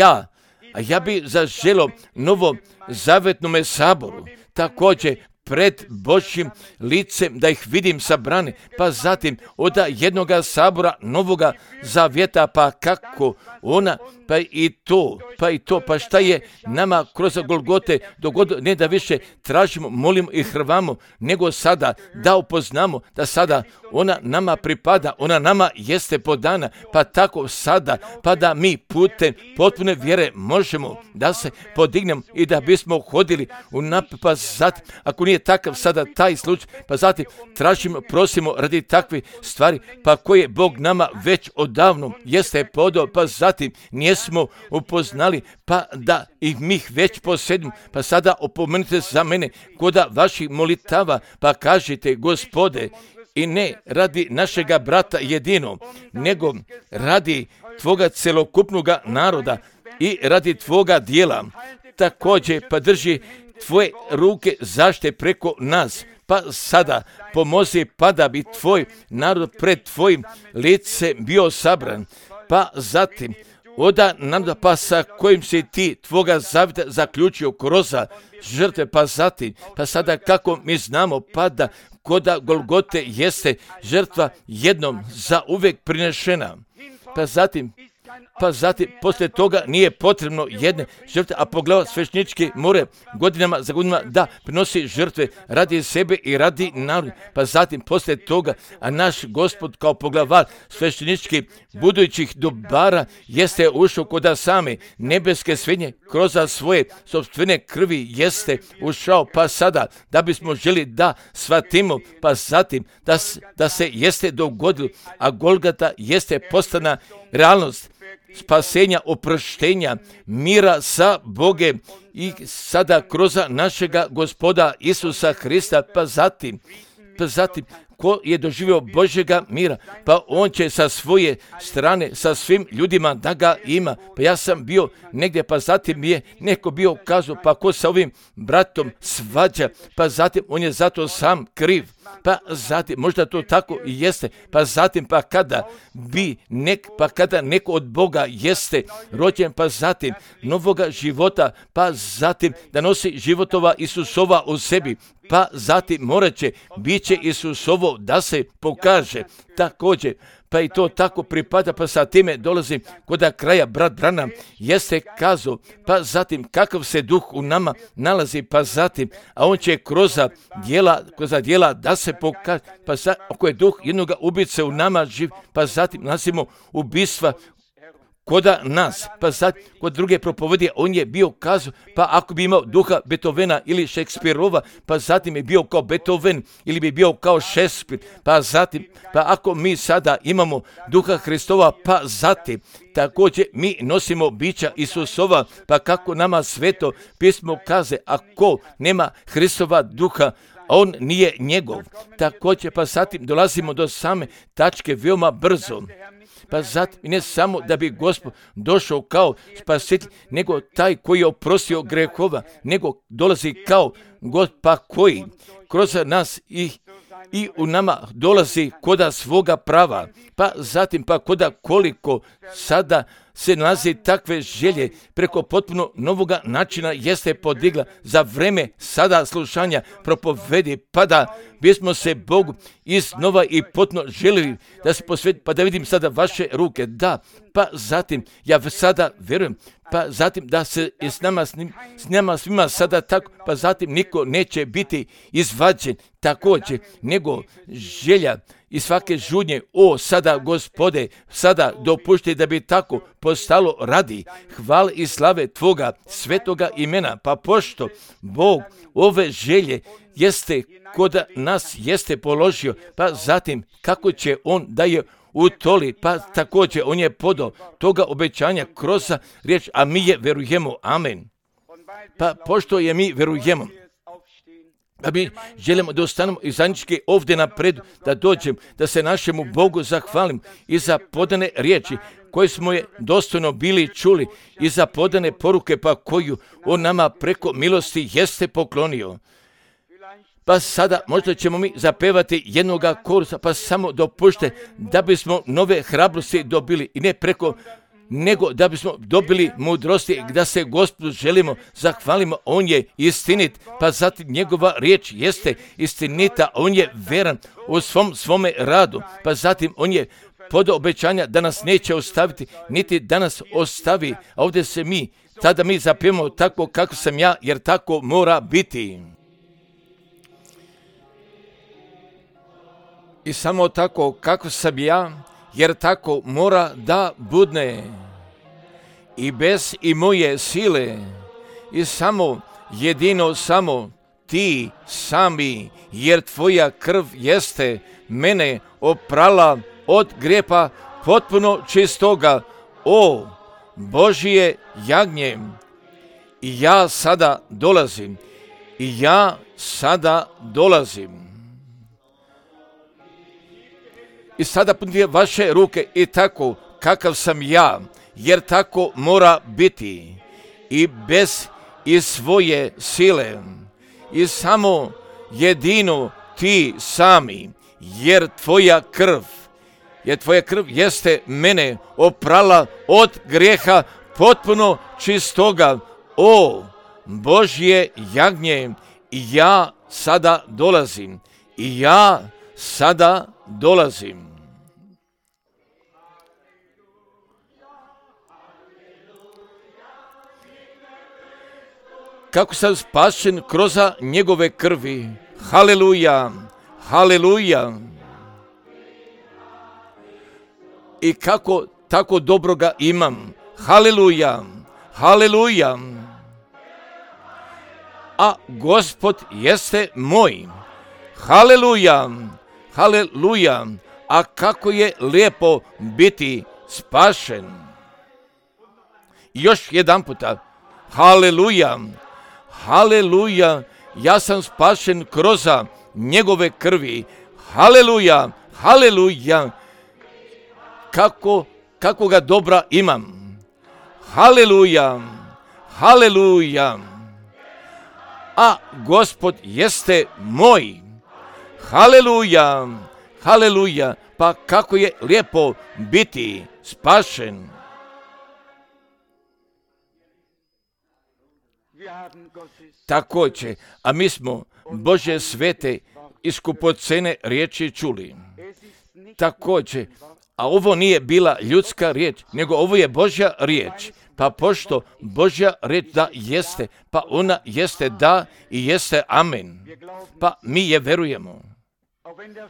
ja bi zaželio novom zavjetnome saboru također pred Božjim licem, da ih vidim sabrane, pa zatim od jednoga sabora Novoga Zavjeta, pa kako ona, pa šta je nama kroz Golgote dogodilo, ne da više tražimo, molimo i hrvamo, nego sada da upoznamo da sada ona nama pripada, ona nama jeste podana, pa tako sada, pa da mi putem potpune vjere možemo da se podignemo i da bismo hodili u naprijed, pa zatim, ako nije takav sada taj slučaj, pa zatim tražimo, prosimo radi takve stvari, pa koje Bog nama već odavno jeste podao, pa zatim nismo upoznali, pa da ih mi već posjedimo, pa sada opomenite za mene kod vaših molitava, pa kažite, Gospode, i ne radi našega brata jedino, nego radi Tvoga celokupnoga naroda i radi Tvoga dijela. Također pa drži Tvoje ruke zaštite preko nas, pa sada pomozi, pa da bi Tvoj narod pred Tvojim licem bio sabran, pa zatim oda naroda, pa sa kojim si Ti Tvoga zavjeta zaključio kroz žrtve, pa zatim, pa sada kako mi znamo, pa da koda Golgote jeste žrtva jednom za uvijek prinešena, pa zatim poslije toga nije potrebno jedne žrtve, a poglavlja sveštenički more godinama za godinama da prinosi žrtve radi sebe i radi naroda, pa zatim poslije toga, a naš Gospod kao poglavar sveštenički budućih dobara jeste ušao kod same nebeske svinje kroz svoje sopstvene krvi jeste ušao, pa sada da bismo želi da shvatimo, pa zatim da se jeste dogodilo, a Golgata jeste postana realnost spasenja, oproštenja, mira sa Bogem i sada kroz našega Gospoda Isusa Hrista, pa zatim ko je doživio Božjega mira, pa on će sa svoje strane, sa svim ljudima da ga ima. Pa ja sam bio negdje, pa zatim je neko bio kazao, pa ko sa ovim bratom svađa, pa zatim on je zato sam kriv. Pa zatim, možda to tako i jeste, pa zatim, pa kada neko od Boga jeste rođen, pa zatim novoga života, pa zatim da nosi životova Isusova u sebi, pa zatim morat će, bit će Isusovo da se pokaže također. Pa i to tako pripada, pa sa time dolazim kod kraja. Brat Branham jeste kazao, pa zatim kakav se duh u nama nalazi, pa zatim, a on će kroz djela da se pokaže, pa ako je duh jednoga ubice u nama živ, pa zatim nalazimo ubistva kod nas, pa sad kod druge propovedije on je bio kazao, pa ako bi imao duha Beethovena ili Šekspirova, pa zatim je bio kao Beethoven ili bi bio kao Šekspir, pa zatim, pa ako mi sada imamo duha Hristova, pa zatim također mi nosimo bića Isusova, pa kako nama sveto pismo kaže, ako nema Hristova duha, on nije njegov. Također pa zatim dolazimo do same tačke veoma brzo. Pa zatim ne samo da bi Gospod došao kao spasitelj, nego taj koji je oprostio grehova, nego dolazi kao Gospod, pa koji kroz nas i u nama dolazi koda svoga prava, pa zatim pa koda koliko sada se nalazi takve želje preko potpuno novoga načina jeste podigla za vreme sada slušanja propovedi, pa da bismo se Bogu iznova i potpuno želili da se posveti, pa da vidim sada vaše ruke, da, pa zatim ja sada vjerujem, pa zatim da se s nama svima sada tako, pa zatim niko neće biti izvađen također, nego želja i svake žudnje, sada Gospode, sada dopušti da bi tako postalo radi hvale i slave Tvoga svetoga imena, pa pošto Bog ove želje jeste kod nas jeste položio, pa zatim kako će on da je utoli, pa također on je podao toga obećanja kroz riječ, a mi je verujemo, amen. Pa pošto je mi verujemo, da mi želimo da ostanemo i zajednički ovdje napred, da dođem, da se našemu Bogu zahvalim i za podane riječi koje smo je dostojno bili čuli i za podane poruke pa koju on nama preko milosti jeste poklonio. Pa sada možda ćemo mi zapevati jednoga korusa, pa samo dopušte da bismo nove hrabrosti dobili i ne preko nego da bismo dobili mudrosti, da se Gospodu želimo, zahvalimo, on je istinit, pa zatim njegova riječ jeste istinita, on je veran u svome radu, pa zatim on je podao obećanja da nas neće ostaviti, niti da nas ostavi, a ovdje se tada mi zapijemo tako kako sam ja, jer tako mora biti. I samo tako kako sam ja, jer tako mora da budne. I bez i moje sile, i jedino samo ti sami, jer tvoja krv jeste mene oprala od grijeha potpuno čistoga, o Božje jagnje. I ja sada dolazim. I sada punite vaše ruke i tako kakav sam ja, jer tako mora biti. I bez i svoje sile, i samo jedino ti sami, jer tvoja krv jeste mene oprala od grijeha potpuno čistoga, o Božje jagnje. I ja sada dolazim. Kako sam spašen kroz njegove krvi. Haleluja, haleluja. I kako tako dobroga imam. Haleluja, haleluja. A Gospod jeste moj. Haleluja, haleluja. A kako je lijepo biti spašen. I još jedan puta. Haleluja, haleluja. Ja sam spašen kroz njegove krvi. Haleluja, haleluja. Kako ga dobra imam. Haleluja, haleluja. A Gospod jeste moj. Haleluja, haleluja. Pa kako je lijepo biti spašen. Također, a mi smo Božje svete i skupocene riječi čuli. Također, a ovo nije bila ljudska riječ, nego ovo je Božja riječ. Pa pošto Božja riječ da jeste, pa ona jeste da i jeste amen. Pa mi je verujemo.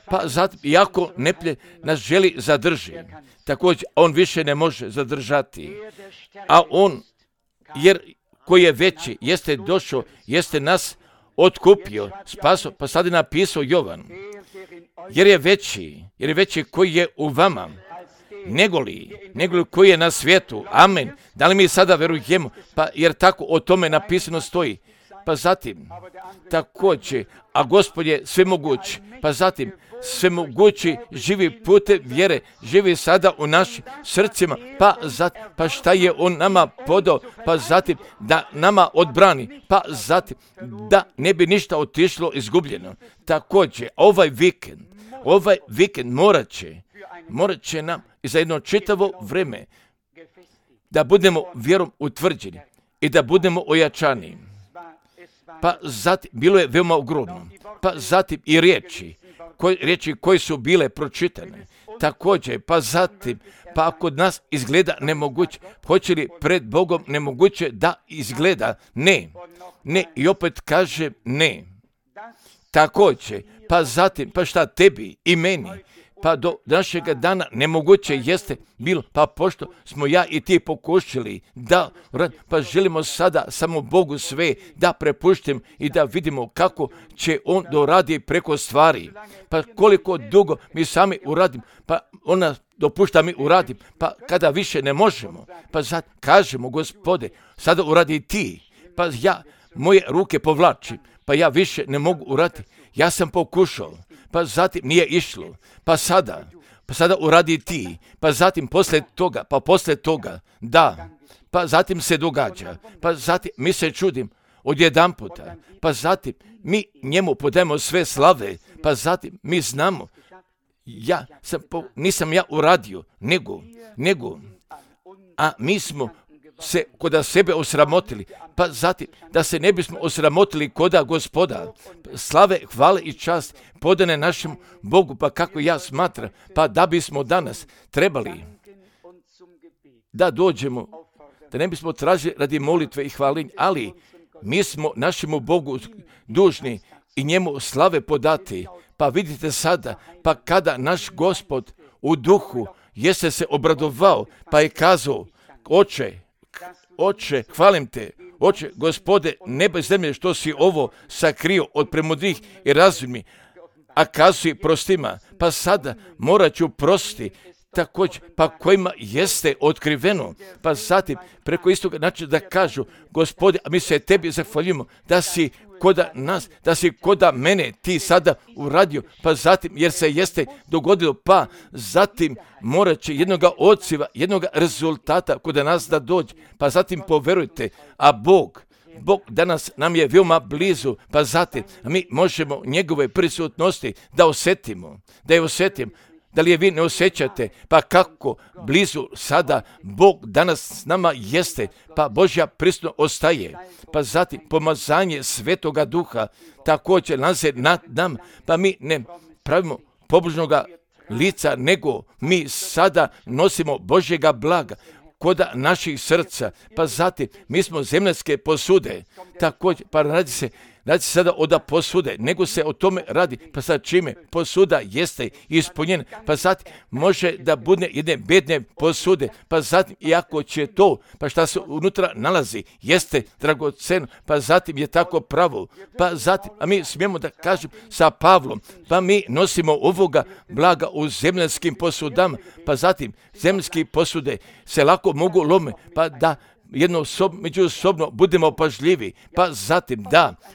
Pa zato, iako neprijatelj nas želi zadrži, također on više ne može zadržati. A on, jer koji je veći, jeste došao, jeste nas otkupio, spasao, pa sad je napisao Jovan. Jer je veći koji je u vama, negoli koji je na svijetu. Amen. Da li mi sada verujemo? Pa jer tako o tome napisano stoji. Pa zatim, također, a Gospod je svemoguć, pa zatim, svemogući živi putem vjere, živi sada u našim srcima, pa šta je on nama podao, pa zatim da nama odbrani, pa zatim da ne bi ništa otišlo izgubljeno. Također, ovaj vikend morat će nam i za jedno čitavo vrijeme da budemo vjerom utvrđeni i da budemo ojačani. Pa zatim, bilo je veoma ogromno, pa zatim i riječi koje su bile pročitane. Također, pa zatim, pa kod nas izgleda nemoguće, hoće li pred Bogom nemoguće da izgleda? Ne, i opet kaže ne. Također, pa zatim, pa šta tebi i meni, pa do našega dana nemoguće jeste bilo, pa pošto smo ja i ti pokušali da, pa želimo sada samo Bogu sve da prepuštim i da vidimo kako će on doradi preko stvari. Pa koliko dugo mi sami uradim, pa ona dopušta mi uradim, pa kada više ne možemo, pa sad kažemo Gospode, sada uradi ti, pa ja moje ruke povlačim, pa ja više ne mogu uraditi, ja sam pokušao, pa zatim nije išlo, pa sada uradi ti, pa zatim poslije toga, da, pa zatim se događa, pa zatim mi se čudim odjedanputa, pa zatim mi njemu podajemo sve slave, pa zatim mi znamo, nisam ja uradio, nego, a mi smo se koda sebe osramotili, pa zatim da se ne bismo osramotili koda Gospoda. Slave, hvale i čast podane našem Bogu, pa kako ja smatram, pa da bismo danas trebali da dođemo, da ne bismo tražili radi molitve i hvalinja, ali mi smo našemu Bogu dužni i njemu slave podati. Pa vidite sada, pa kada naš Gospod u duhu jeste se obradovao, pa je kazao, Oče, hvalim te, Oče, Gospode, neba i zemlje, što si ovo sakrio od premudrih i razumnih, a kazuj prostima, pa sada morat ću prostiti, također, pa kojima jeste otkriveno, pa zatim preko istoga načina da kažu, Gospode, a mi se tebi zahvaljujemo da si koda nas, da si koda mene ti sada uradio, pa zatim jer se jeste dogodilo, pa zatim morat će jednoga odziva, jednoga rezultata koda nas da dođe, pa zatim poverujte, a Bog danas nam je veoma blizu, pa zatim mi možemo njegove prisutnosti da osjetimo, Da li je vi ne osjećate? Pa kako blizu sada Bog danas s nama jeste, pa Božja prisutnost ostaje. Pa zatim pomazanje Svetoga Duha također nalaze nad nam, pa mi ne pravimo pobožnoga lica, nego mi sada nosimo Božjega blaga koda naših srca, pa zatim mi smo zemaljske posude, također, pa radi se sada o da posude, nego se o tome radi, pa sad čime posuda jeste ispunjena, pa zatim može da bude jedne bedne posude, pa zatim iako će to, pa šta se unutra nalazi, jeste dragoceno, pa zatim je tako pravo, pa zatim, a mi smijemo da kažem sa Pavlom, pa mi nosimo ovoga blaga u zemaljskim posudama, pa zatim zemaljske posude se lako mogu lome, pa da međusobno budemo pažljivi, pa zatim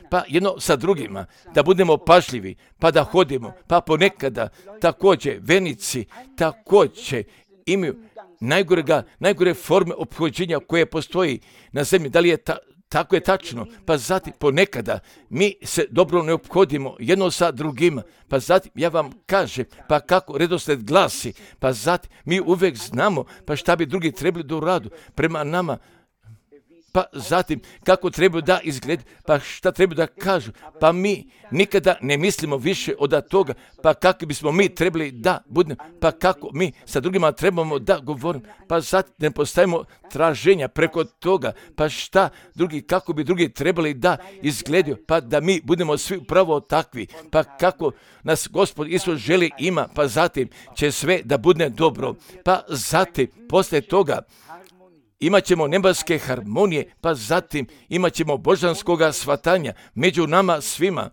pa jedno sa drugima, da budemo pažljivi, pa da hodimo, pa ponekada također vernici također imaju najgore forme ophođenja koje postoji na zemlji, da li je tako je tačno, pa zatim ponekada mi se dobro ne ophodimo jedno sa drugima, pa zatim ja vam kažem, pa kako redosled glasi, pa zatim mi uvijek znamo, pa šta bi drugi trebali da uradu prema nama, pa zatim kako treba da izgleda, pa šta treba da kažu, pa mi nikada ne mislimo više od toga, pa kako bismo mi trebali da budemo, pa kako mi sa drugima trebamo da govorimo, pa zatim ne postavimo traženja preko toga, pa šta drugi, kako bi drugi trebali da izgledaju, pa da mi budemo svi upravo takvi, pa kako nas Gospod Isus želi ima, pa zatim će sve da bude dobro, pa zatim posle toga imat ćemo nebeske harmonije, pa zatim imat ćemo božanskoga shvatanja među nama svima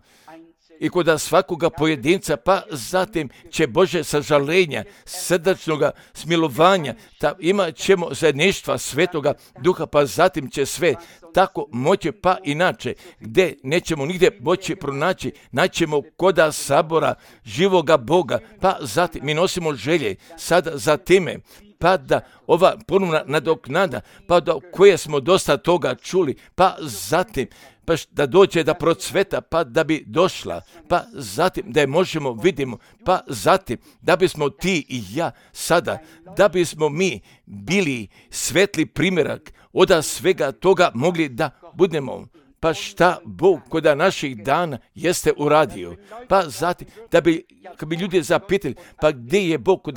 i kod svakoga pojedinca, pa zatim će Bože sažalenja, srdačnoga smilovanja, imat ćemo zajedništva Svetoga Duha, pa zatim će sve tako moći, pa inače, gdje nećemo nigdje moći pronaći, naćemo koda sabora živoga Boga, pa zatim mi nosimo želje sada za time, pa da ova ponovna nadoknada, pa da koje smo dosta toga čuli, pa zatim pa da dođe da procveta, pa da bi došla, pa zatim da je možemo vidimo, pa zatim da bismo ti i ja sada, da bismo mi bili svetli primjerak od svega toga mogli da budemo. Pa šta Bog koda naših dana jeste uradio, pa zatim da bi, kad bi ljudi zapitali, pa gdje je Bog,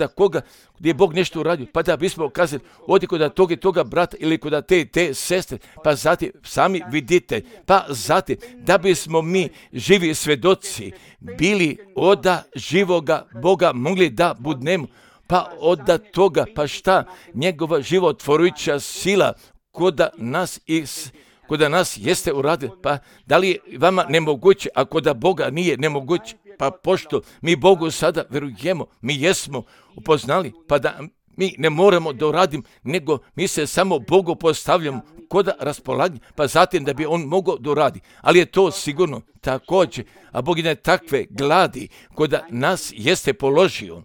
gdje je Bog nešto uradio, pa da bismo kazali, odi koda toga i toga brata ili koda te sestre, pa zatim sami vidite, pa zatim da bismo mi živi svedoci bili od živoga Boga mogli da budnemo, pa od toga, pa šta njegova životvorujuća sila koda nas jeste uradili, pa da li je vama nemoguće, a koda Boga nije nemoguće, pa pošto mi Bogu sada verujemo, mi jesmo upoznali, pa da mi ne moramo da uradim, nego mi se samo Bogu postavljamo koda raspolaganja, pa zatim da bi on mogao da uradi. Ali je to sigurno također, a Bog je takve gladi koda nas jeste položio,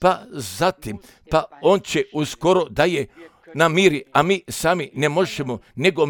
pa zatim, pa on će uskoro da je namiri, a mi sami ne možemo, nego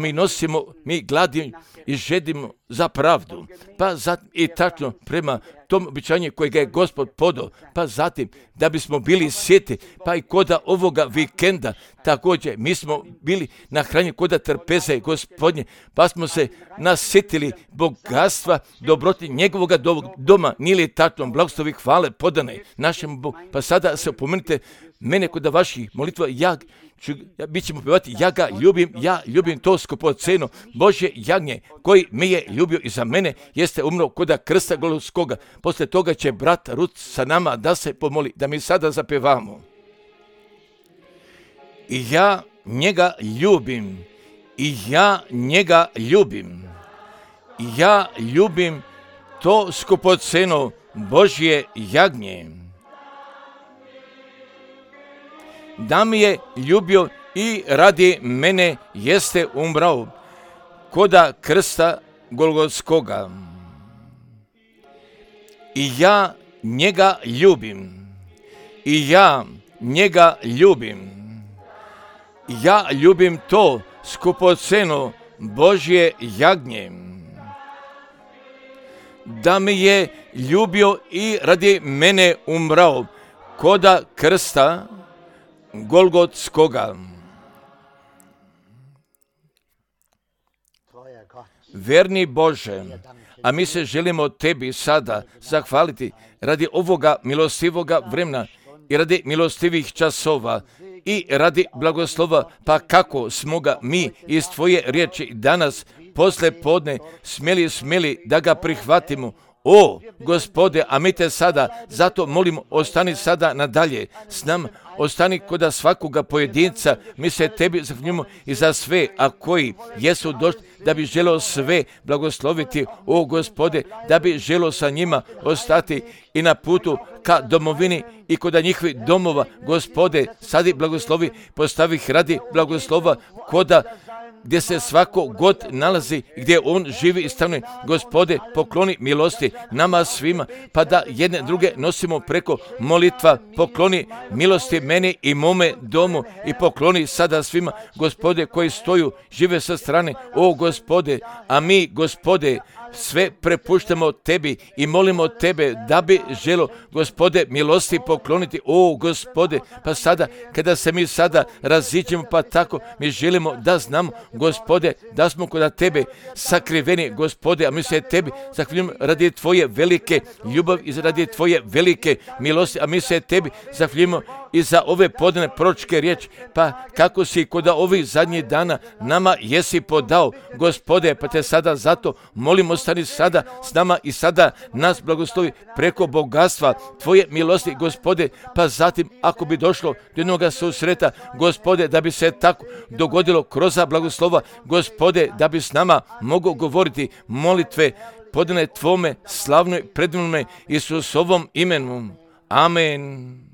mi gladimo i žedimo za pravdu. Pa zatim i tačno prema tom običanju kojega je Gospod podao, pa zatim da bismo bili sjeti, pa i koda ovoga vikenda također mi smo bili nahranjeni koda trpeze Gospodnje, pa smo se nasjetili bogatstva, dobroti njegovoga doma, nije li tačno blagoslovi hvale podane našem Bogu. Pa sada se opomenite mene kod vaših molitva, bit ćemo pjevati, ja ljubim to skupoceno Božje jagnje koji me je ljubio i za mene jeste umro koda krsta Golgotskoga. Poslije toga će brat Rut sa nama da se pomoli, da mi sada zapevamo. I ja njega ljubim, i ja njega ljubim, i ja ljubim to skupoceno Božje jagnje. Da mi je ljubio i radi mene jeste umrao koda krsta Golgotskoga. I ja njega ljubim, i ja njega ljubim, ja ljubim to skupoceno Božje jagnje. Da mi je ljubio i radi mene umrao koda krsta Golgotskoga. Verni Bože, a mi se želimo tebi sada zahvaliti radi ovoga milostivoga vremena i radi milostivih časova i radi blagoslova, pa kako smo ga mi iz tvoje riječi danas posle podne smjeli da ga prihvatimo. O, Gospode, a mi te sada zato molimo, ostani sada nadalje s nama, ostani koda svakoga pojedinca, mi se tebi zahvaljujemo i za sve, a koji jesu došli da bi želio sve blagosloviti, o Gospode, da bi želio sa njima ostati i na putu ka domovini i koda njihovih domova, Gospode, sadi blagoslovi, postavi ih radi blagoslova koda gdje se svako god nalazi, gdje on živi i stanuje. Gospode, pokloni milosti nama svima, pa da jedne druge nosimo preko molitva. Pokloni milosti meni i mome domu i pokloni sada svima, Gospode, koji stoju, žive sa strane. O Gospode, a mi, Gospode, sve prepuštamo tebi i molimo tebe da bi želo, Gospode, milosti pokloniti. O Gospode, pa sada kada se mi sada raziđemo, pa tako mi želimo da znamo, Gospode, da smo kod tebe sakriveni, Gospode, a mi se tebi zahvaljujemo radi tvoje velike ljubavi i radi tvoje velike milosti, a mi se tebi zahvaljujemo i za ove podane proročke riječi, pa kako si kod ovih zadnjih dana nama jesi podao, Gospode, pa te sada zato molimo, ostani sada s nama i sada nas blagoslovi preko bogatstva tvoje milosti, Gospode, pa zatim ako bi došlo do jednog susreta, Gospode, da bi se tako dogodilo kroz blagoslova, Gospode, da bi s nama mogao govoriti molitve podane tvome slavnoj predivnome Isusovom imenu. Amen.